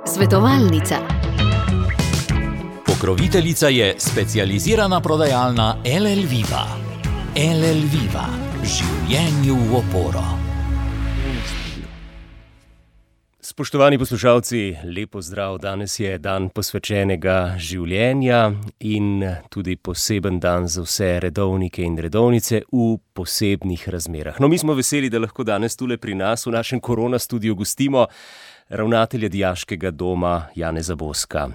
Svetovalnica. Pokroviteljica je specializirana prodajalna LL Viva. LL Viva. Življenju v oporo. Spoštovani poslušalci, lepo zdrav. Danes je dan posvečenega življenja in tudi poseben dan za vse redovnike in redovnice v posebnih razmerah. No, mi smo veseli, da lahko danes tule pri nas v našem korona studiu gostimo ravnatelja Dijaškega doma Janeza Boska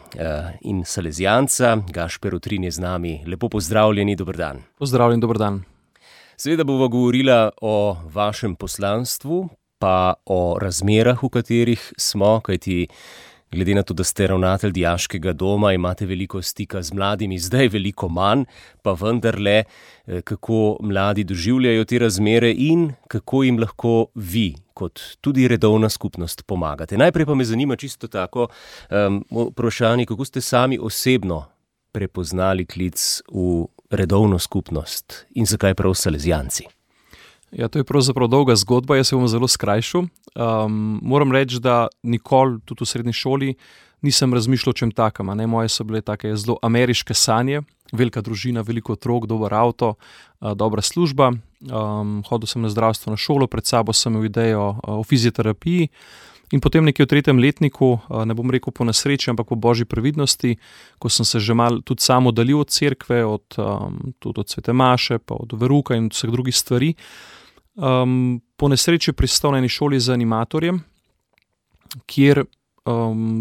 in salezijanca Gašper Utrin je z nami. Lepo pozdravljeni, dober dan. Pozdravljen, dober dan. Seveda bova govorila o vašem poslanstvu, pa o razmerah, v katerih smo, kajti glede na to, da ste ravnatelj Dijaškega doma, imate veliko stika z mladimi, zdaj veliko manj, pa vendarle, kako mladi doživljajo te razmere in kako jim lahko vi, kot tudi redovna skupnost, pomagate. Najprej pa me zanima čisto tako vprašanje, kako ste sami osebno prepoznali klic v redovno skupnost in zakaj prav salezijanci? Ja, to je pravzaprav dolga zgodba, jaz se bom zelo skrajšal. Moram reči, da nikoli, tudi v srednji šoli, nisem razmišljal o čem takem. Moje so bile take zelo ameriške sanje, velika družina, veliko otrok, dober avto, dobra služba. Hodil sem na zdravstveno šolo, pred sabo sem imel idejo o fizioterapiji in potem nekje v 3. letniku, ne bom rekel po nesreči, ampak po božji previdnosti, ko sem se že malo tudi sam oddaljil od cerkve, tudi od svete maše, pa od veruka in vseh drugih stvari. Po nesreči pristal na eni šoli z animatorjem, kjer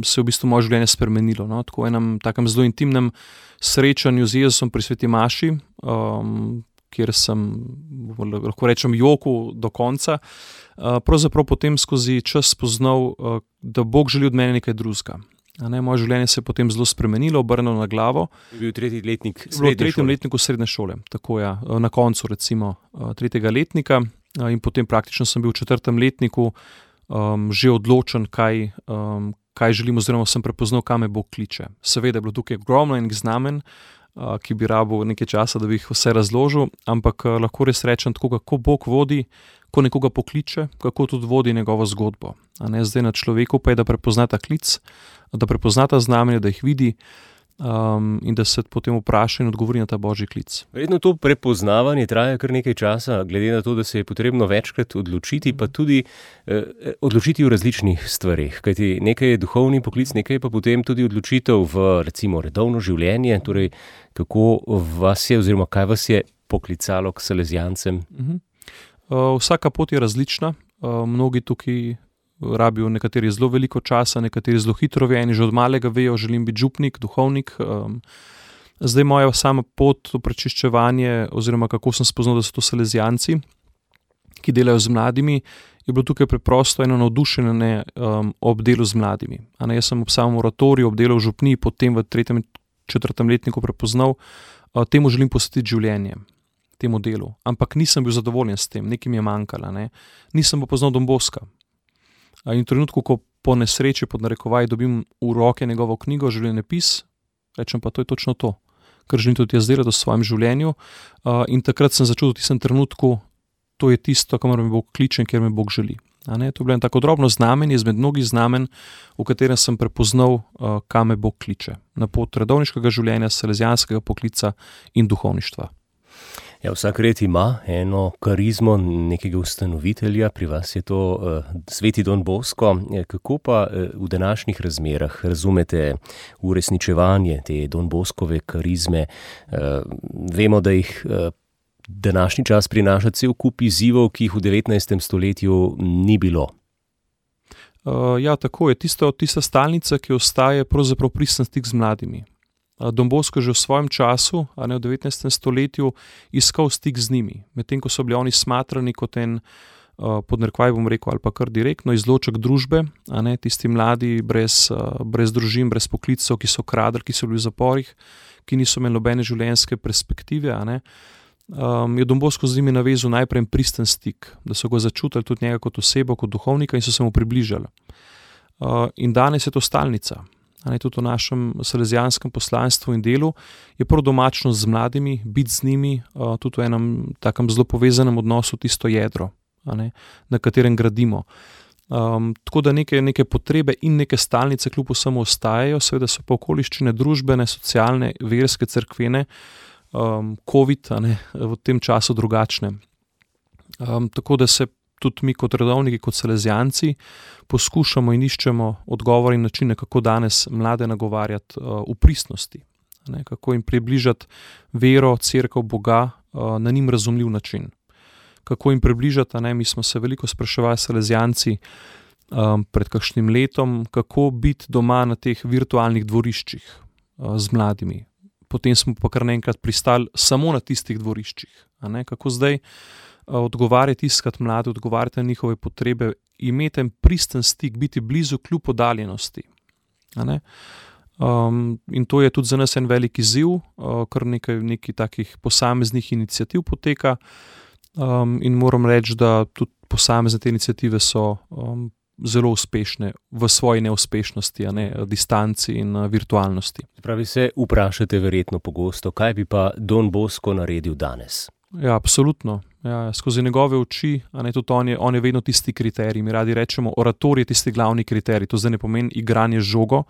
se je v bistvu moje življenje spremenilo. Tako v enem takem zelo intimnem srečanju z Jezusom pri sveti maši, kjer sem, lahko rečem, jokal do konca, pravzaprav potem skozi čas spoznal, da Bog želi od mene nekaj drugega. Moje življenje se je potem zelo spremenilo, obrnilo na glavo. Je bil 3. letnik srednje šole? V 3. letniku srednje šole, tako ja, na koncu recimo 3. letnika in potem praktično sem bil v 4. letniku že odločen, kaj želim, oziroma sem prepoznal, kam me Bog kliče. Seveda je bilo tukaj ogromno enih znamen, ki bi rabil nekaj časa, da bi jih vse razložil, ampak lahko res rečem tako, kako Bog vodi, ko nekoga pokliče, kako tudi vodi njegovo zgodbo. Zdaj na človeku pa je, da prepozna ta klic, da prepozna ta znamenja, da jih vidi in da se potem vpraša in odgovori na ta božji klic. Verjetno to prepoznavanje traja kar nekaj časa, glede na to, da se je potrebno večkrat odločiti, pa tudi odločiti v različnih stvareh. Kajti nekaj je duhovni poklic, nekaj je pa potem tudi odločitev v recimo redovno življenje, torej kako vas je oziroma kaj vas je poklicalo k salezijancem? Vsaka pot je različna, mnogi tukaj rabijo nekateri zelo veliko časa, nekateri zelo hitro vejo, eni že od malega vejo, želim biti župnik, duhovnik. Zdaj moja sama pot v prečiščevanje oziroma kako sem spoznal, da so to salezijanci, ki delajo z mladimi, je bilo tukaj preprosto eno navdušenje ob delu z mladimi. Jaz sem ob samem oratoriju, ob delu v župniji, potem v 3. 4. letniku prepoznal, temu želim posvetiti življenje, temu delu. Ampak nisem bil zadovoljen s tem, nekaj mi je manjkalo. Nisem pa poznal Don Boska. In v trenutku, ko po nesreči, pod narekovaj, dobim v roke njegovo knjigo, življenjepis, rečem pa, to je točno to, kar želim tudi jaz delati v svojem življenju. In takrat sem začel v tistem trenutku, to je tisto, kamor me Bog kliče in kjer me Bog želi. To je bilo tako drobno znamenje izmed mnogih znamen, v katerem sem prepoznal, kam me Bog kliče. Na pot redovniškega življenja, salezijanskega poklica in duhovništva. Ja, vsak red ima eno karizmo nekega ustanovitelja, pri vas je to sveti Don Bosko. Kako pa v današnjih razmerah razumete uresničevanje te Don Boskove karizme? Vemo, da jih današnji čas prinaša cel kup izzivov, ki jih v 19. stoletju ni bilo. Ja, tako je. Tista stalnica, ki ostaje, pravzaprav pristen stik z mladimi. Don Bosko že v svojem času, v 19. stoletju, iskal stik z njimi. Medtem ko so bili oni smatrani kot en, pod narekovaj bom rekel, ali pa kar direktno izloček družbe, tisti mladi brez družin, brez poklicov, ki so kradli, ki so bili v zaporih, ki niso imeli nobene življenjske perspektive, je Don Bosko z njimi navezal najprej pristen stik, da so ga začutili tudi njega kot osebo, kot duhovnika in so se mu približali. In danes je to stalnica. Tudi v našem salezijanskem poslanstvu in delu je prav domačnost z mladimi, biti z njimi, tudi v enem takem zelo povezanem odnosu, tisto jedro, na katerem gradimo. Tako da neke potrebe in neke stalnice kljub vsemu ostajajo, seveda so pa okoliščine družbene, socialne, verske, cerkvene, COVID, v tem času drugačne. Tako da se tudi mi kot redovniki, kot salezijanci poskušamo in iščemo odgovore in načine, kako danes mlade nagovarjati v pristnosti, kako jim približati vero, cerkev, Boga na njim razumljiv način. Kako jim približati, mi smo se veliko spraševali salezijanci pred kakšnim letom, kako biti doma na teh virtualnih dvoriščih z mladimi. Potem smo pa kar naenkrat pristali samo na tistih dvoriščih. Kako zdaj odgovarjati, iskati mlade, odgovarjati na njihove potrebe, imeti en pristen stik, biti blizu kljub oddaljenosti. In to je tudi za nas en velik izziv, kar nekaj takih posameznih iniciativ poteka. In moram reči, da tudi posamezne te iniciative so zelo uspešne v svoji neuspešnosti, distanci in virtualnosti. Pravi se, vprašate verjetno pogosto, kaj bi pa Don Bosco naredil danes? Ja, absolutno. Ja, skozi njegove oči, tudi on je vedno tisti kriterij. Mi radi rečemo, oratorij je tisti glavni kriterij. To zdaj ne pomeni igranje žogo,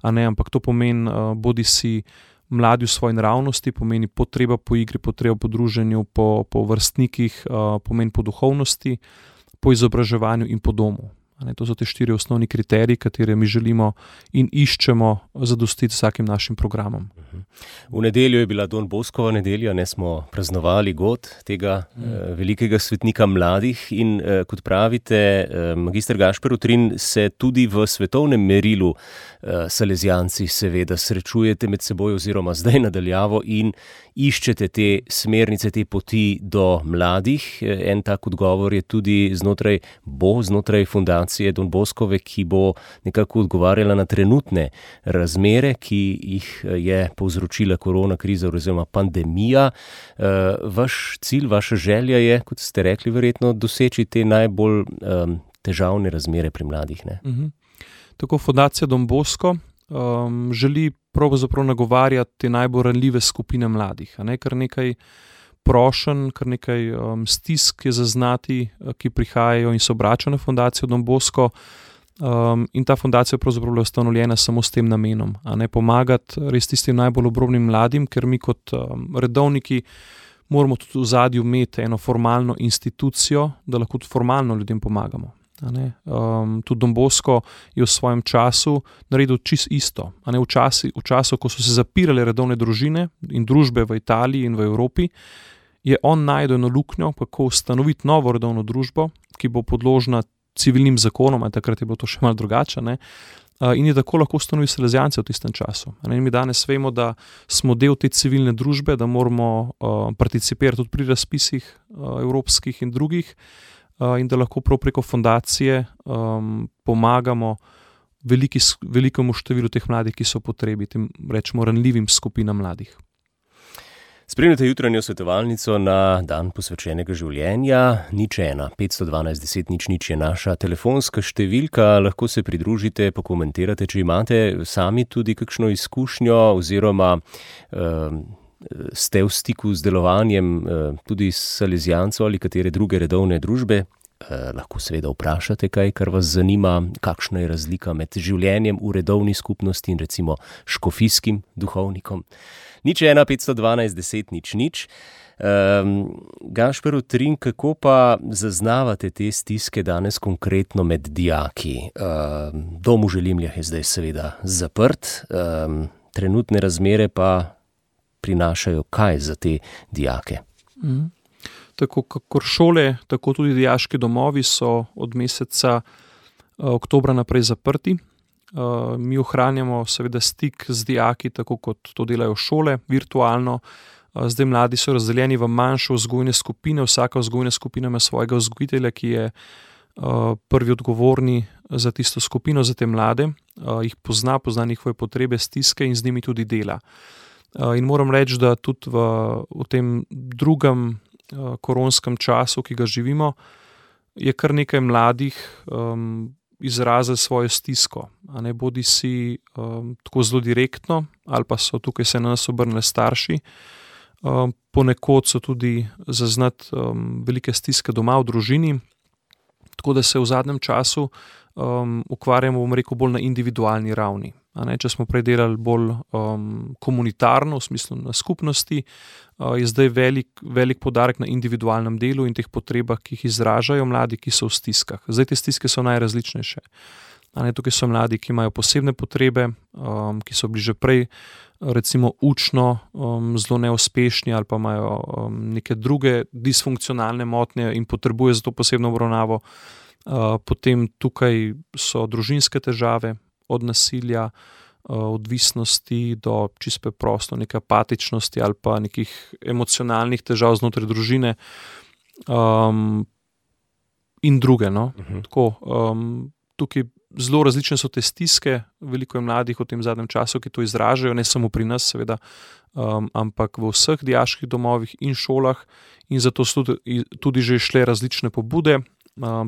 ampak to pomeni bodi si mladi v svoji naravnosti, pomeni potreba po igri, potreba po druženju, po vrstnikih, pomeni po duhovnosti, po izobraževanju in po domu. To so te 4 osnovni kriteriji, katere mi želimo in iščemo zadostiti vsakim našim programom. V nedeljo je bila Don Boscova nedelja, smo praznovali god tega velikega svetnika mladih in kot pravite, magister Gašper Utrin, se tudi v svetovnem merilu salezijanci seveda srečujete med seboj oziroma zdaj nadaljavo in iščete te smernice, te poti do mladih. En tak odgovor je tudi znotraj fundacije Don Boscove, ki bo nekako odgovarjala na trenutne razmere, ki jih je povzročila korona kriza oziroma pandemija. Vaš cilj, vaša želja je, kot ste rekli, verjetno doseči te najbolj težavne razmere pri mladih. Tako fundacija Don Bosco želi pravzaprav nagovarjati te najbolj ranljive skupine mladih. Kar nekaj prošenj, kar nekaj stisk je zaznati, ki prihajajo in se obračajo na fundacijo Don Bosco. In ta fundacija pravzaprav je ustanovljena samo s tem namenom, pomagati res tistim najbolj obrobnim mladim, ker mi kot redovniki moramo tudi v zadju imeti eno formalno institucijo, da lahko tudi formalno ljudem pomagamo. Tudi Don Bosco je v svojem času naredil čisto isto. V času, ko so se zapirale redovne družine in družbe v Italiji in v Evropi, je on našel eno luknjo, kako ustanoviti novo redovno družbo, ki bo podložna civilnim zakonom, takrat je bilo to še malo drugače, in je tako lahko ustanovil salezijance v tistem času. In mi danes vemo, da smo del te civilne družbe, da moramo participirati tudi pri razpisih evropskih in drugih, in da lahko prav preko fundacije pomagamo velikemu številu teh mladih, ki so potrebi, tem rečemo ranljivim skupinam mladih. Spremljate jutranjo svetovalnico na dan posvečenega življenja. 01 512 10 00 je naša telefonska številka. Lahko se pridružite, pokomentirate, če imate sami tudi kakšno izkušnjo oziroma ste v stiku z delovanjem tudi salezijancev ali katere druge redovne družbe. Lahko seveda vprašate kaj, kar vas zanima, kakšna je razlika med življenjem v redovni skupnosti in recimo škofijskim duhovnikom. 01 512 10 00. Gašper Utrin, kako pa zaznavate te stiske danes konkretno med dijaki? Dom v Želimljah je zdaj seveda zaprt, trenutne razmere pa prinašajo kaj za te dijake? Tako kakor šole, tako tudi dijaški domovi so od meseca oktobra naprej zaprti. Mi ohranjamo seveda stik z dijaki, tako kot to delajo šole, virtualno. Zdaj mladi so razdeljeni v manjše vzgojne skupine, vsaka vzgojna skupina ima svojega vzgojitelja, ki je prvi odgovorni za tisto skupino, za te mlade, jih pozna njihove potrebe, stiske in z njimi tudi dela. In moram reči, da tudi v tem drugem koronskem času, ki ga živimo, je kar nekaj mladih izrazili svojo stisko. Bodi si tako zelo direktno, ali pa so tukaj se na nas obrnili starši. Ponekod so tudi zaznati velike stiske doma v družini, Tako da se v zadnjem času ukvarjamo, bom rekel, bolj na individualni ravni. Če smo prej delali bolj komunitarno, v smislu na skupnosti, je zdaj velik poudarek na individualnem delu in teh potrebah, ki jih izražajo mladi, ki so v stiskah. Zdaj te stiske so najrazličnejše. Tukaj so mladi, ki imajo posebne potrebe, ki so bili že prej recimo učno zelo neuspešni ali pa imajo neke druge disfunkcionalne motnje in potrebuje za to posebno obravnavo. Potem tukaj so družinske težave, od nasilja, odvisnosti do čisto preprosto neke apatičnosti ali pa nekih emocionalnih težav znotraj družine in druge. No? Tako, tukaj zelo različne so te stiske, veliko je mladih v tem zadnjem času, ki to izražajo, ne samo pri nas seveda, ampak v vseh dijaških domovih in šolah, in zato so tudi že šle različne pobude,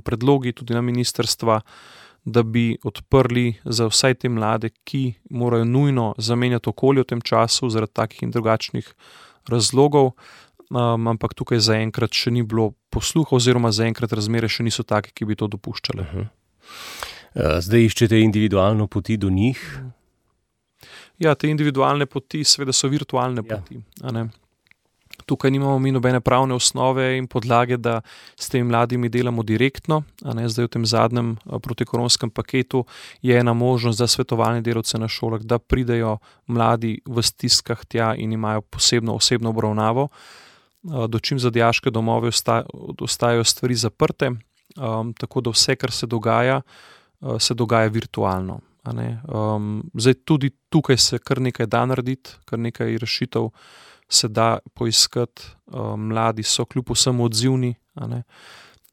predlogi tudi na ministrstva, da bi odprli za vsaj te mlade, ki morajo nujno zamenjati okolje v tem času zaradi takih in drugačnih razlogov, ampak tukaj zaenkrat še ni bilo posluha oziroma zaenkrat razmere še niso take, ki bi to dopuščale. Zdaj iščete individualno poti do njih? Ja, te individualne poti seveda so virtualne poti. Tukaj nimamo mi nobene pravne osnove in podlage, da s temi mladimi delamo direktno. Zdaj v tem zadnjem protikoronskem paketu je ena možnost za svetovalne delavce na šolah, da pridejo mladi v stiskah tja in imajo posebno osebno obravnavo. Dočim za dijaške domove ostajajo stvari zaprte, tako da vse, kar se dogaja virtualno. Zdaj tudi tukaj se kar nekaj da narediti, kar nekaj rešitev se da poiskati, mladi so kljub vsemu odzivni,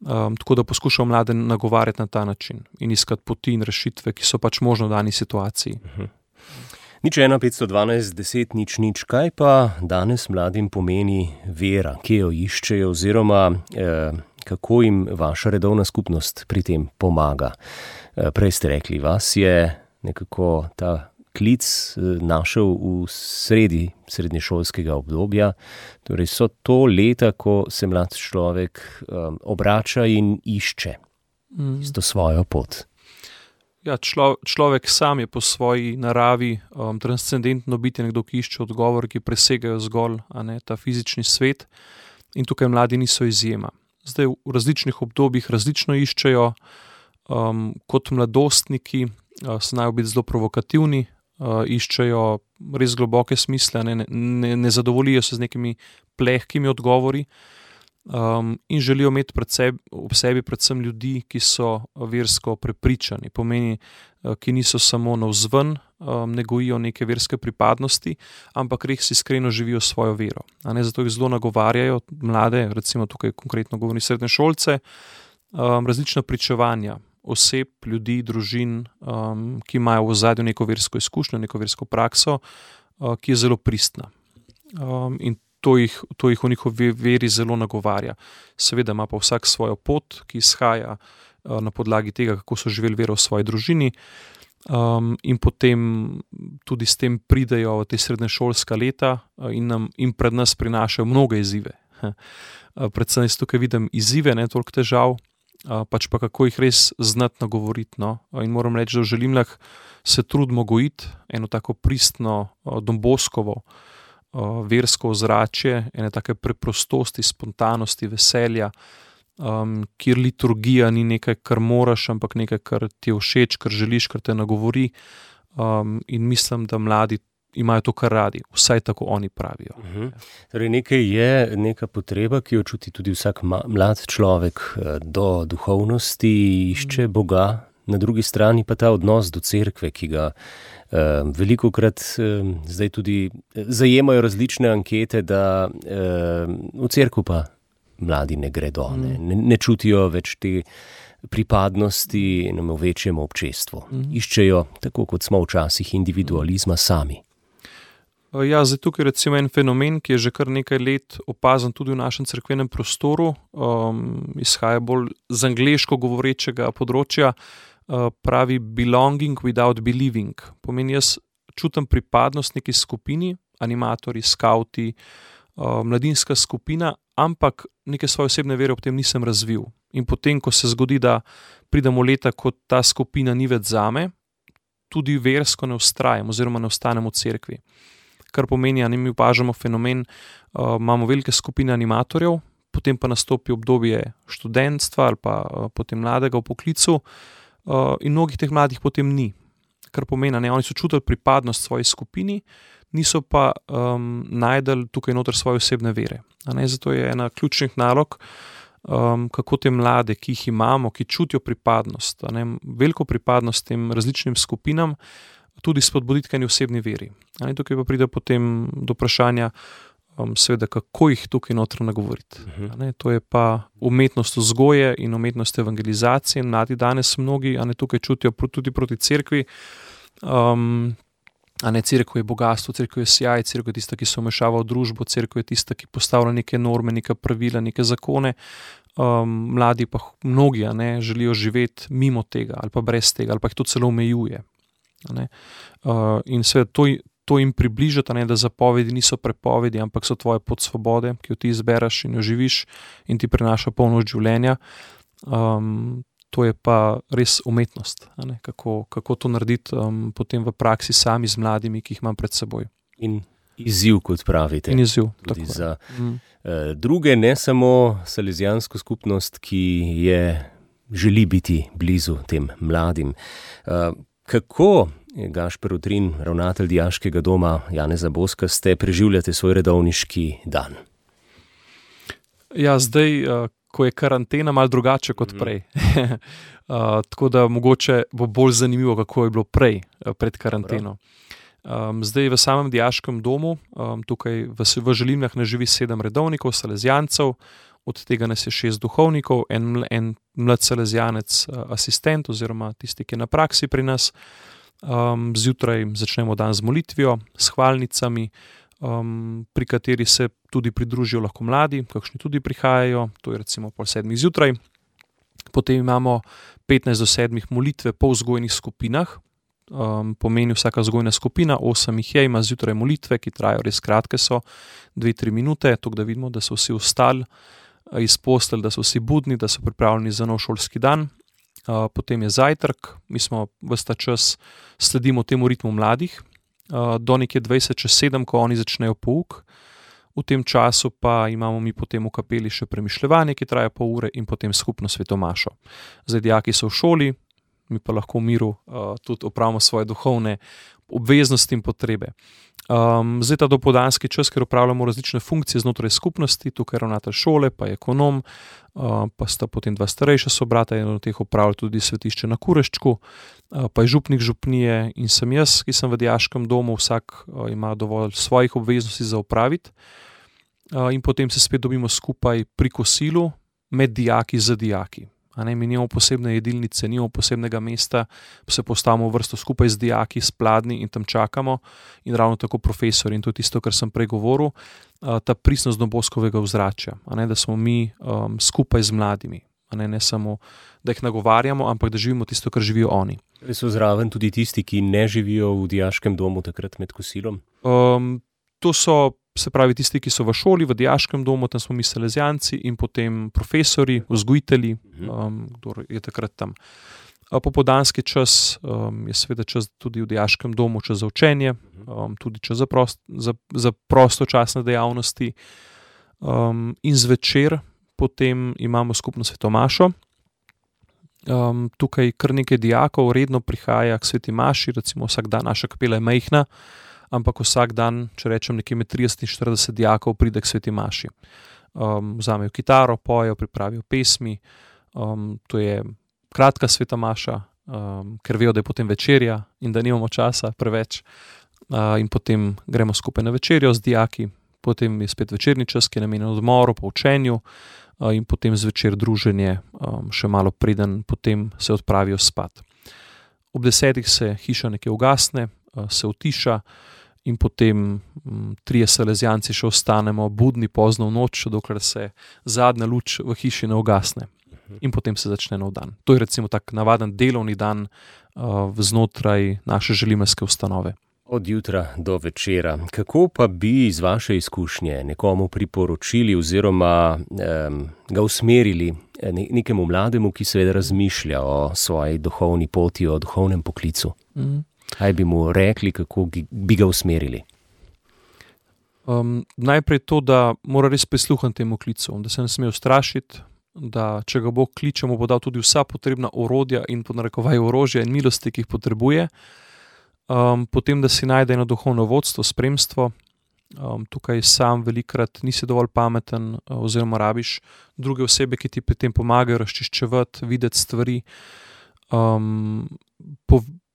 tako da poskušajo mlade nagovarjati na ta način in iskati poti in rešitve, ki so pač možno v dani situaciji. 01 512 10 00, kaj pa danes mladim pomeni vera, kje jo iščejo oziroma kako jim vaša redovna skupnost pri tem pomaga? Prej ste rekli, vas je nekako ta klic našel v srednješolskega obdobja, torej so to leta, ko se mlad človek obrača in išče isto svojo pot. Ja, človek sam je po svoji naravi transcendentno biti, nekdo, ki išče odgovor, ki presegajo zgolj ta fizični svet, in tukaj mladi niso izjema. Zdaj v različnih obdobjih različno iščejo, kot mladostniki znajo biti zelo provokativni, iščejo res globoke smisle, ne zadovoljijo se z nekimi plehkimi odgovori in želijo imeti ob sebi predvsem ljudi, ki so versko prepričani, pomeni, ki niso samo navzven, ne gojijo neke verske pripadnosti, ampak res iskreno živijo svojo vero. Zato jih zelo nagovarjajo mlade, recimo tukaj konkretno govorim srednješolce, različna pričevanja oseb, ljudi, družin, ki imajo v ozadju neko versko izkušnjo, neko versko prakso, ki je zelo pristna. In to jih v njihovi veri zelo nagovarja. Seveda ima pa vsak svojo pot, ki izhaja na podlagi tega, kako so živeli vero v svoji družini, in potem tudi s tem pridejo v te srednješolska leta in pred nas prinašajo mnoge izzive. Predvsem jaz tukaj vidim izzive, ne toliko težav, pač pa kako jih res znati nagovoriti. In moram reči, da želim se trudimo gojiti eno tako pristno, domboskovo, versko ozračje, ene take preprostosti, spontanosti, veselja, kjer liturgija ni nekaj, kar moraš, ampak nekaj, kar ti je všeč, kar želiš, kar te nagovori, in mislim, da mladi imajo to kar radi, vsaj tako oni pravijo. Torej nekaj je neka potreba, ki jo čuti tudi vsak mlad človek do duhovnosti, išče Boga, na drugi strani pa ta odnos do cerkve, ki ga velikokrat zdaj tudi zajemajo različne ankete, da v cerkev pa mladi ne gredo, ne čutijo več te pripadnosti v večjem občestvu. Iščejo, tako kot smo včasih, individualizma sami. Ja, zdaj tukaj recimo en fenomen, ki je že kar nekaj let opazen tudi v našem cerkvenem prostoru, izhaja bolj z angleško govorečega področja, pravi belonging without believing. Pomeni, jaz čutim pripadnost neki skupini, animatorji, skauti, mladinska skupina, ampak neke svoje osebne vere ob tem nisem razvil. In potem, ko se zgodi, da pridemo leta, ko ta skupina ni več zame, tudi versko ne vztrajam oziroma ne ostanem v cerkvi. Kar pomeni, da mi opažamo fenomen, imamo velike skupine animatorjev, potem pa nastopi obdobje študentstva ali pa potem mladega v poklicu in mnogih teh mladih potem ni. Kar pomeni, oni so čutili pripadnost svoji skupini, niso pa najdeli tukaj noter svoje osebne vere. Zato je ena ključnih nalog, kako te mlade, ki jih imamo, ki čutijo pripadnost, veliko pripadnost tem različnim skupinam, tudi spodbuditi k eni osebni veri. Tukaj pa pride potem do vprašanja, seveda, kako jih tukaj noter nagovoriti. To je pa umetnost vzgoje in umetnost evangelizacije. Mladi danes mnogi tukaj čutijo tudi proti cerkvi. Cerkev je bogatstvo, cerkev je sjaj, cerkev je tista, ki se vmešava v družbo, cerkev je tista, ki postavlja neke norme, neka pravila, neke zakone. Mladi pa mnogi želijo živeti mimo tega ali pa brez tega ali pa jih to celo omejuje. In seveda to jim približati, da zapovedi niso prepovedi, ampak so tvoje pot svobode, ki jo ti izbereš in jo živiš in ti prinaša polnost življenja. To je pa res umetnost, kako to narediti potem v praksi sami z mladimi, ki jih imam pred seboj. In izziv, kot pravite. In izziv, tudi za druge, ne samo salezijansko skupnost, ki želi biti blizu tem mladim. Kako, Gašper Utrin, ravnatelj Dijaškega doma Janeza Boska, ste preživljate svoj redovniški dan? Ja, zdaj, ko je karantena, malo drugače kot prej. Tako da mogoče bo bolj zanimivo, kako je bilo prej, pred karanteno. Zdaj v samem Dijaškem domu, tukaj v Želimljah ne živi 7 redovnikov, salezijancev, od tega nas je 6 duhovnikov, en mlad salezijanec, asistent oziroma tisti, ki je na praksi pri nas. Zjutraj začnemo dan z molitvijo, s hvalnicami, pri kateri se tudi pridružijo lahko mladi, kakšni tudi prihajajo, to je recimo 6:30 zjutraj. Potem imamo 15 do 7 molitve po vzgojnih skupinah, pomeni vsaka vzgojna skupina, 8 jih je, ima zjutraj molitve, ki trajajo res kratke so, 2-3 minute, tako da vidimo, da so vsi vstali iz postelj, da so vsi budni, da so pripravljeni za nov šolski dan. Potem je zajtrk, mi smo ves ta čas sledimo temu ritmu mladih, do nekje 7:20, ko oni začnejo pouk. V tem času pa imamo mi potem v kapeli še premišljevanje, ki traja pol ure in potem skupno svetomašo. Zdaj dijaki so v šoli, mi pa lahko v miru tudi opravimo svoje duhovne obveznosti in potrebe. Zdaj ta dopoldanski čas, ker opravljamo različne funkcije znotraj skupnosti, tukaj ravnatelj šole, pa ekonom, pa sta potem 2 starejša sobrata, eno od teh opravlja tudi svetišče na Kureščku, pa je župnik župnije in sem jaz, ki sem v Dijaškem domu, vsak ima dovolj svojih obveznosti za opraviti. In potem se spet dobimo skupaj pri kosilu med dijaki z dijaki. Mi nimamo posebne jedilnice, nimamo posebnega mesta, se postavimo v vrsto skupaj z dijaki, s pladnji in tam čakamo. In ravno tako profesori, in to je tisto, kar sem prej govoril, ta pristnost Boskovega ozračja, da smo mi skupaj z mladimi. Ne samo, da jih nagovarjamo, ampak da živimo tisto, kar živijo oni. So zraven tudi tisti, ki ne živijo v Dijaškem domu takrat med kosilom? To so, se pravi, tisti, ki so v šoli, v Dijaškem domu, tam smo mi salezijanci in potem profesori, vzgojitelji, kdo je takrat tam. Popoldanski čas je seveda čas tudi v Dijaškem domu, čas za učenje, tudi čas za prostočasne dejavnosti. In zvečer potem imamo skupno svetomašo. Tukaj kar nekaj dijakov redno prihaja k sveti maši, recimo vsak dan, naša kapela je majhna, ampak vsak dan, če rečem nekje med 30 in 40 dijakov pride k sveti maši. Vzamejo kitaro, pojejo, pripravijo pesmi, to je kratka sveta maša, ker vejo, da je potem večerja in da nimamo časa preveč, in potem gremo skupaj na večerjo z dijaki, potem je spet večerni čas, ki je namenjen odmoru, po učenju, in potem zvečer druženje, še malo preden potem se odpravijo spat. Ob 10 se hiša nekje ugasne, se utiša in potem 3 salezijanci še ostanemo budni pozno v noč, dokler se zadnja luč v hiši ne ugasne. In potem se začne nov dan. To je recimo tak navaden delovni dan znotraj naše želimeljske ustanove. Od jutra do večera. Kako pa bi iz vaše izkušnje nekomu priporočili oziroma ga usmerili nekemu mlademu, ki seveda razmišlja o svoji duhovni poti, o duhovnem poklicu? Kaj bi mu rekli, kako bi ga usmerili? Najprej to, da mora res prisluhniti temu klicu, da se ne sme ustrašiti, da če ga Bog kliče, mu bo dal tudi vsa potrebna orodja in pod narekovaj orožja in milosti, ki jih potrebuje. Potem, da si najde eno duhovno vodstvo, spremstvo. Tukaj sam velikrat nisi dovolj pameten oziroma rabiš druge osebe, ki ti pri tem pomagajo razčiščevati, videti stvari,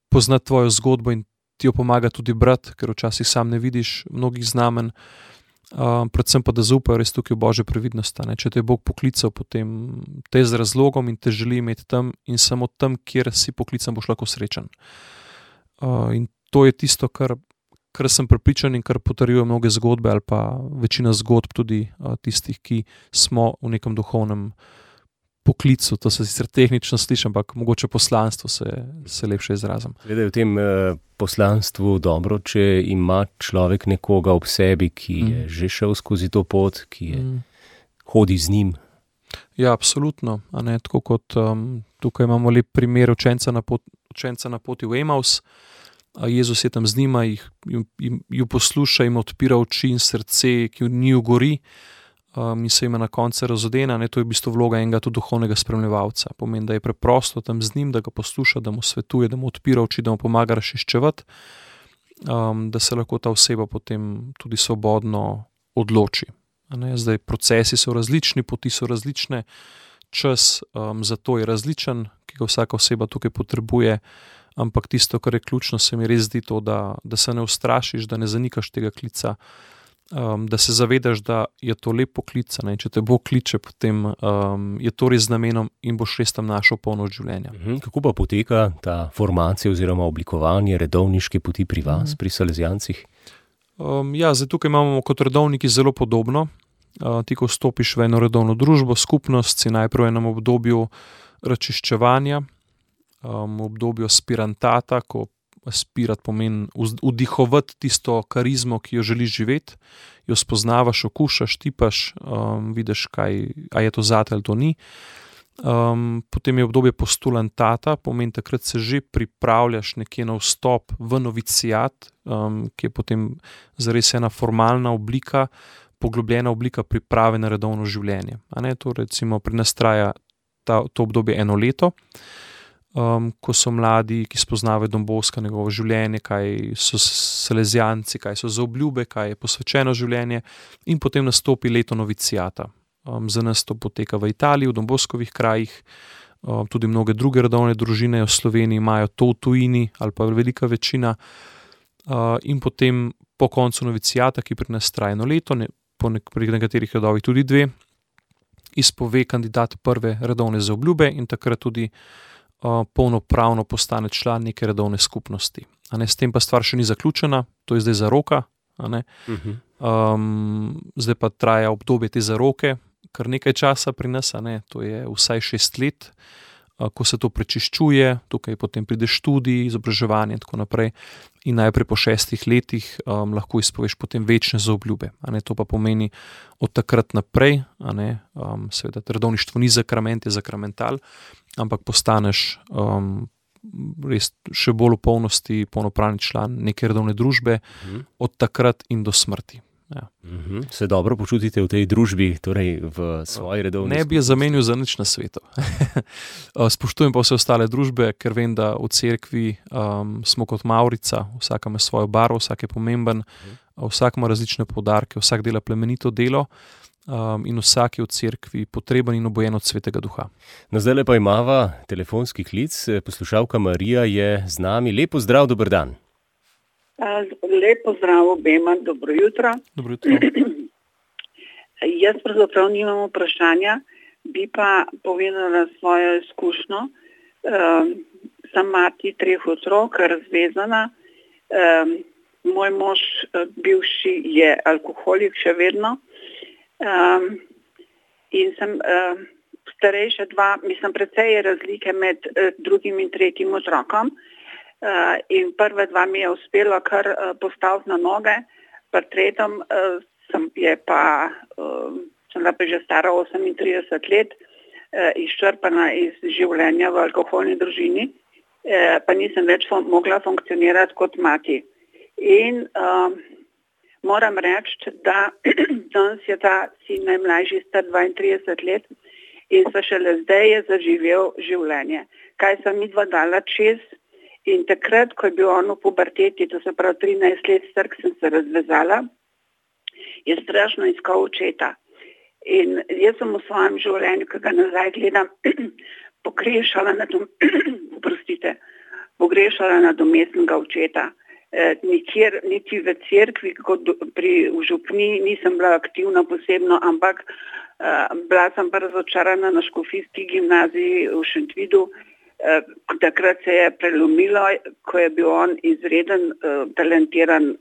poznati tvojo zgodbo in ti jo pomaga tudi brati, ker včasih sam ne vidiš mnogih znamen. Predvsem pa, da zaupajo res tukaj v Božjo previdnost. Če te je Bog poklical, potem te z razlogom in te želi imeti tam in samo tam, kjer si poklican, boš lahko srečen. In to je tisto, kar sem prepričan in kar potrjuje mnoge zgodbe ali pa večina zgodb tudi tistih, ki smo v nekem duhovnem poklicu. To se sicer tehnično sliši, ampak mogoče poslanstvo se lepše izrazim. Glede v tem poslanstvu dobro, če ima človek nekoga ob sebi, ki je že šel skozi to pot, ki hodi z njim. Ja, absolutno. Tako kot tukaj imamo lep primer učenca na poti v Emaus. Jezus je tam z njima, ju posluša, jim odpira oči in srce, ki njiju gori in se jim na koncu razodena. To je v bistvu vloga enega tudi duhovnega spremljevalca. Pomeni, da je preprosto tam z njim, da ga posluša, da mu svetuje, da mu odpira oči, da mu pomaga razčiščevati, da se lahko ta oseba potem tudi svobodno odloči. Zdaj, procesi so različni, poti so različne, čas za to je različen, ki ga vsaka oseba tukaj potrebuje, ampak tisto, kar je ključno, se mi res zdi to, da se ne ustrašiš, da ne zanikaš tega klica, da se zavedaš, da je to lep poklic, in če te Bog kliče, potem je to res z namenom in boš res tam našel polnost življenja. Kako pa poteka ta formacija oziroma oblikovanje redovniške poti pri vas, pri Salezijancih? Zdaj tukaj imamo kot redovniki zelo podobno. Ti, ko vstopiš v eno redovno družbo, skupnost, si najprej v enem obdobju razčiščevanja, v obdobju aspirantata, ko aspirat pomeni vdihovati tisto karizmo, ki jo želiš živeti, jo spoznavaš, okušaš, tipaš, vidiš, a je to zate ali to ni. Potem je obdobje postulantata, pomeni takrat se že pripravljaš nekje na vstop v novicijat, ki je potem zares ena formalna oblika, poglobljena oblika priprave na redovno življenje. To recimo pri nas traja to obdobje 1 leto, ko so mladi, ki spoznavajo Dom Boska, njegovo življenje, kaj so Salezijanci, kaj so za obljube, kaj je posvečeno življenje, in potem nastopi leto novicijata. Za nas to poteka v Italiji, v Dom Boskovih krajih, tudi mnoge druge redovne družine v Sloveniji imajo to v tujini ali pa velika večina, in potem po koncu novicijata, ki pri nas traja 1 leto, pri nekaterih redovih tudi 2, izpove kandidat prve redovne zaobljube in takrat tudi polnopravno postane član neke redovne skupnosti. S tem pa stvar še ni zaključena, to je zdaj zaroka. Zdaj pa traja obdobje te zaroke, kar nekaj časa pri nas, to je vsaj 6 let, ko se to prečiščuje, tukaj potem pride študij, izobraževanje in tako naprej. In najprej po 6 letih lahko izpoveš potem večne zaobljube. To pa pomeni od takrat naprej, seveda redovništvo ni sakrament, je sakramental, ampak postaneš res še bolj v polnosti polnopravni član neke redovne družbe od takrat in do smrti. Ja. Se dobro počutite v tej družbi, torej v svoji redovni skupnosti? Ne bi je zamenil za nič na svetu. Spoštujem pa vse ostale družbe, ker vem, da v cerkvi smo kot Mavrica, vsak ima svojo barvo, vsak je pomemben, vsak ima različne poudarke, vsak dela plemenito delo in vsak je v cerkvi potreben in obojen od Svetega Duha. Zdajle pa imava telefonski klic, poslušalka Marija je z nami. Lep pozdrav, dober dan. Lep pozdrav obema, dobro jutro. Dobro jutro. Jaz pravzaprav nimam vprašanja, bi pa povedala svojo izkušnjo. Sem mati 3 otrok, razvezana. Moj mož bivši je alkoholik še vedno. In sem starejša 2, mislim, precej je razlike med 2. in 3. otrokom. in prve 2 mi je uspelo kar postaviti na noge, pri tretjem sem pa že stara 38 let, izčrpana iz življenja v alkoholni družini, pa nisem več mogla funkcionirati kot mati. In moram reči, da danes je ta sin najmlajši star 32 let in se šele zdaj je zaživel življenje. Kaj sem midva dala čez in takrat, ko je bil on v puberteti, to se pravi 13 let star, sem se razvezala, je strašno iskal očeta. In jaz sem v svojem življenju, ki ga nazaj gledam, pogrešala nadomestnega očeta. Nikjer, niti v cerkvi, kot v župni, nisem bila aktivna posebno, ampak bila sem pa razočarana na škofijski gimnaziji v Šentvidu. Takrat se je prelomilo, ko je bil on izreden, talentiran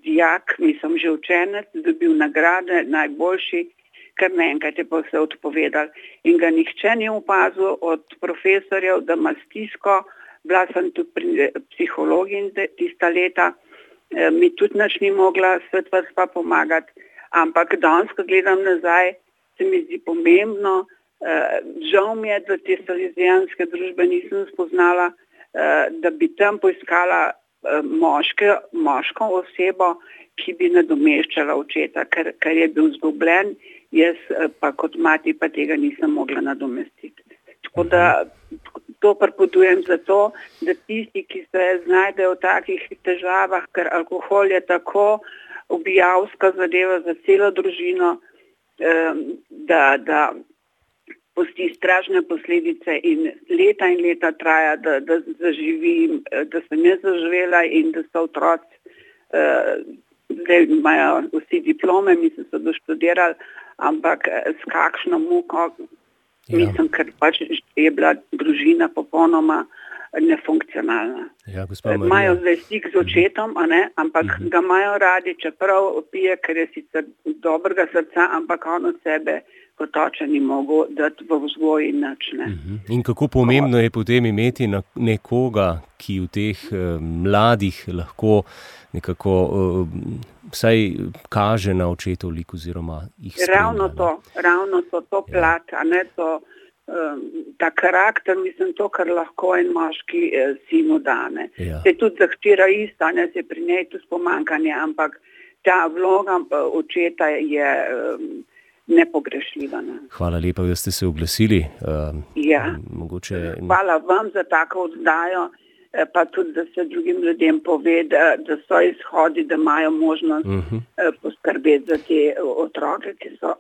dijak, mislim že učenec, dobil nagrade, najboljši, kar naenkrat je pa vse odpovedal. In ga nihče ni opazil od profesorjev, da ima stisko. Bila sem tudi pri psihologiji tista leta, mi tudi nič ni mogla svetvrstva pomagati, ampak danes, ko gledam nazaj, se mi zdi pomembno. Žal mi je, da te salezijanske družbe nisem spoznala, da bi tam poiskala moško osebo, ki bi nadomeščala očeta, ker je bil izgubljen, jaz pa kot mati pa tega nisem mogla nadomestiti. Tako da to pripovedujem zato, da tisti, ki se znajdejo v takih težavah, ker alkohol je tako ubijalska zadeva za celo družino, da pusti strašne posledice in leta traja, da zaživim, da sem jaz zaživela in da so otroci, zdaj imajo vsi diplome, mislim, so doštudirali, ampak s kakšno muko, mislim, ker pač je bila družina popolnoma nefunkcionalna. Imajo zdaj stik z očetom, ampak ga imajo radi, čeprav pije, ker je sicer dobrega srca, ampak on od sebe kot oče ni mogel dati v vzgoji nič. In kako pomembno je potem imeti nekoga, ki v teh mladih lahko nekako vsaj kaže na očetov lik oziroma jih spremlja. Ravno to plat, ta karakter, mislim, to, kar lahko en moški sinu dane. Se tudi zahtira isto, se pri njej tudi pomankanje, ampak ta vloga očeta je nepogrešljiva. Hvala lepa, da ste se oglasili. Hvala vam za tako oddajo, pa tudi, da se drugim ljudem pove, da so izhodi, da imajo možnost poskrbeti za te otroke, ki so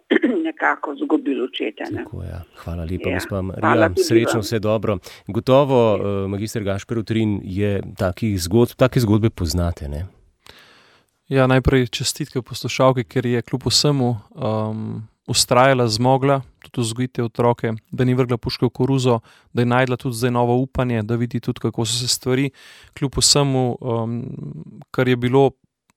nekako izgubili očete. Tako, Hvala lepa, gospa Marija. Srečno, vse dobro. Gotovo, magister Gašper Utrin, je take zgodbe poznate, ne? Ja, najprej čestitke poslušalki, ker je kljub vsemu ustrajala, zmogla tudi vzgojiti otroke, da ni vrgla puške v koruzo, da je najdla tudi zdaj novo upanje, da vidi tudi, kako so se stvari, kljub vsemu, kar je bilo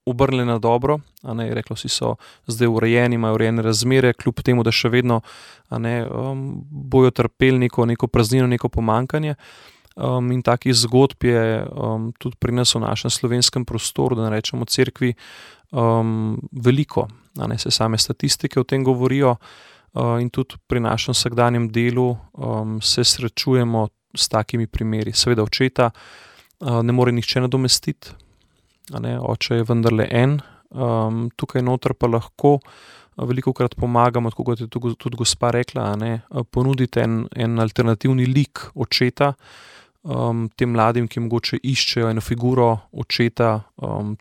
obrnjeno dobro, reklo si so zdaj urejeni, imajo urejene razmere, kljub temu, da še vedno bojo trpeli neko praznino, neko pomankanje. In takih zgodb je tudi pri nas v našem slovenskem prostoru, da ne rečemo cerkvi, veliko. Se same statistike o tem govorijo in tudi pri našem vsakdanjem delu se srečujemo s takimi primeri. Seveda očeta ne more nihče nadomestiti, oče je vendarle en, tukaj noter pa lahko velikokrat pomagamo, tako kot je tudi gospa rekla, ponuditi en alternativni lik očeta, tem mladim, ki mogoče iščejo eno figuro očeta,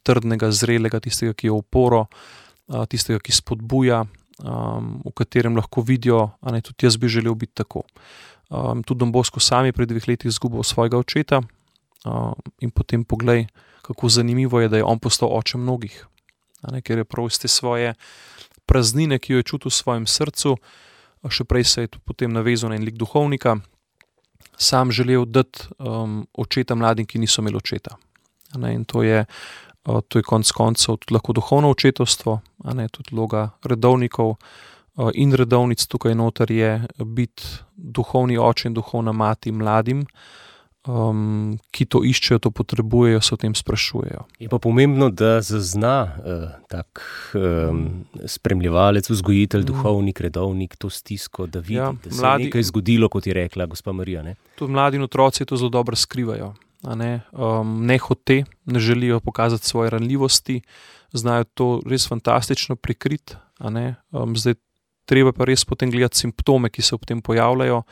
trdnega, zrelega, tistega, ki je oporo, tistega, ki spodbuja, v katerem lahko vidijo, tudi jaz bi želel biti tako. Tudi Don Bosco sam je pred 2 leti izgubil svojega očeta in potem poglej, kako zanimivo je, da je on postal oče mnogih, ker je prav iz te svoje praznine, ki jo je čutil v svojem srcu, še prej se je potem navezal na en lik duhovnika, sam želel dati očeta mladim, ki niso imeli očeta. In to je konec koncev tudi lahko duhovno očetovstvo, tudi vloga redovnikov in redovnic tukaj noter je biti duhovni oče in duhovna mati mladim, ki to iščejo, to potrebujejo, se o tem sprašujejo. Je pa pomembno, da zazna tak spremljevalec, vzgojitelj, duhovnik, redovnik to stisko, da vidi, da se je nekaj zgodilo, kot je rekla gospa Marija. Ne? Tudi mladi in otroci to zelo dobro skrivajo. Ne hote, ne želijo pokazati svoje ranljivosti, znajo to res fantastično prikriti. Zdaj treba pa res potem gledati simptome, ki se ob tem pojavljajo.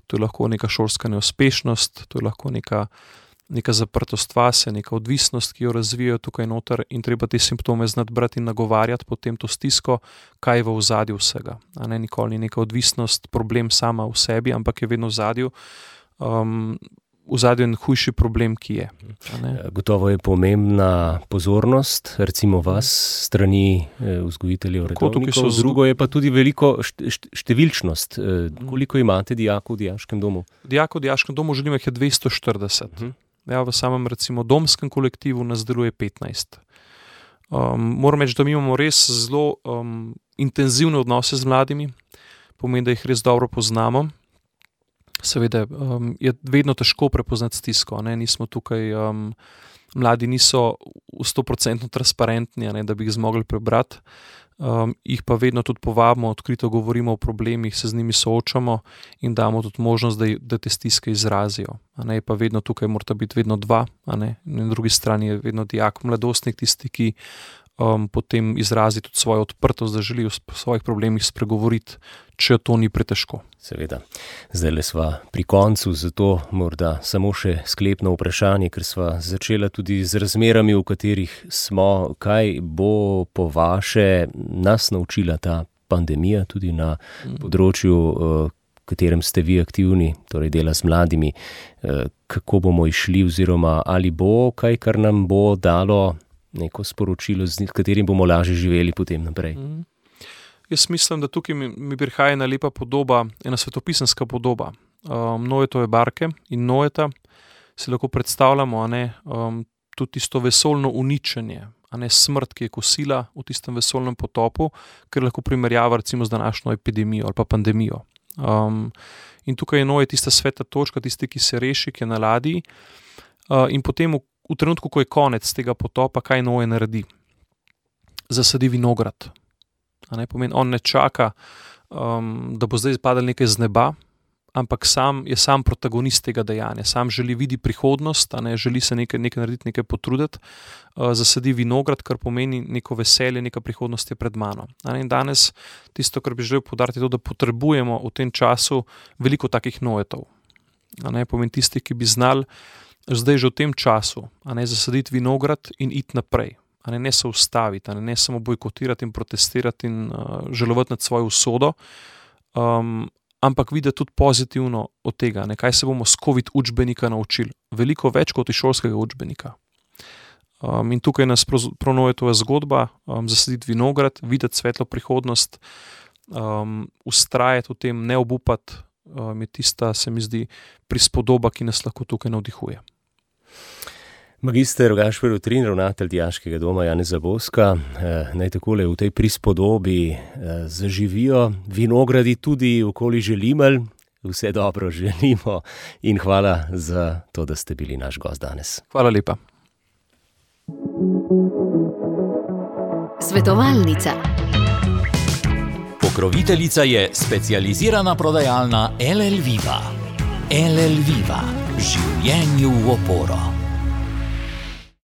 To je lahko neka šolska neuspešnost, to je lahko neka zaprtost vase, neka odvisnost, ki jo razvijajo tukaj noter, in treba te simptome znati brati in nagovarjati potem to stisko, kaj je v ozadju vsega. Nikoli ni neka odvisnost, problem sama v sebi, ampak je vedno v ozadju. V zadju je en hujši problem, ki je. Gotovo je pomembna pozornost, recimo vas, strani vzgojiteljev, redovnikov, drugo je pa tudi veliko številčnost. Koliko imate dijakov v dijaškem domu? Dijakov v dijaškem domu želim jih je 240. V samem recimo domskem kolektivu nas deluje 15. Moram reči, da mi imamo res zelo intenzivne odnose z mladimi, pomeni, da jih res dobro poznamo. Seveda je vedno težko prepoznati stisko, nismo tukaj, mladi niso v 100% transparentni, da bi jih zmogli prebrati, jih pa vedno tudi povabimo, odkrito govorimo o problemih, se z njimi soočamo in damo tudi možnost, da te stiske izrazijo. Pa vedno tukaj morata biti vedno dva, na drugi strani je vedno dijak, mladostnik, tisti, ki potem izrazi tudi svojo odprtost, da želi o svojih problemih spregovoriti, če to ni pretežko. Seveda. Zdajle sva pri koncu, zato morda samo še sklepno vprašanje, ker sva začela tudi z razmerami, v katerih smo. Kaj bo po vaše nas naučila ta pandemija, tudi na področju, v katerem ste vi aktivni, torej dela z mladimi, kako bomo išli, oziroma ali bo kaj, kar nam bo dalo neko sporočilo, z katerim bomo lažje živeli potem naprej? Jaz mislim, da tukaj mi prihaja ena lepa podoba, ena svetopisemska podoba. Noetove barke in Noeta si lahko predstavljamo, tudi tisto vesoljno uničenje, smrt, ki je kosila v tistem vesoljnem potopu, ker lahko primerjava recimo z današnjo epidemijo ali pa pandemijo. In tukaj je Noe tista sveta točka, tisti, ki se reši, ki je na ladji, in potem v trenutku, ko je konec tega potopa, kaj Noe naredi? Zasadi vinograd. Pomeni, on ne čaka, da bo zdaj padalo nekaj z neba, ampak je sam protagonist tega dejanja. Sam želi videti prihodnost, želi se nekaj narediti, nekaj potruditi, zasadi vinograd, kar pomeni neko veselje, neka prihodnost je pred mano. In danes tisto, kar bi želel poudariti, je to, da potrebujemo v tem času veliko takih Noetov. Pomeni tisti, ki bi znali zdaj že v tem času zasaditi vinograd in iti naprej. Ne se ustaviti, ne samo bojkotirati in protestirati in žalovati nad svojo usodo, ampak videti tudi pozitivno od tega, kaj se bomo s COVID učbenika naučili. Veliko več kot iz šolskega učbenika. In tukaj nas prav Noetova zgodba, zasaditi vinograd, videti svetlo prihodnost, vztrajati v tem, ne obupati, je tista, se mi zdi, prispodoba, ki nas lahko tukaj navdihuje. Magister Gašper Utrin, ravnatelj Dijaškega doma Janeza Boska, naj takole v tej prispodobi zaživijo vinogradi tudi okoli Želimelj. Vse dobro želimo in hvala za to, da ste bili naš gost danes. Hvala lepa. Svetovalnica. Pokroviteljica je specializirana prodajalna LL Viva. LL Viva. Življenju v oporo.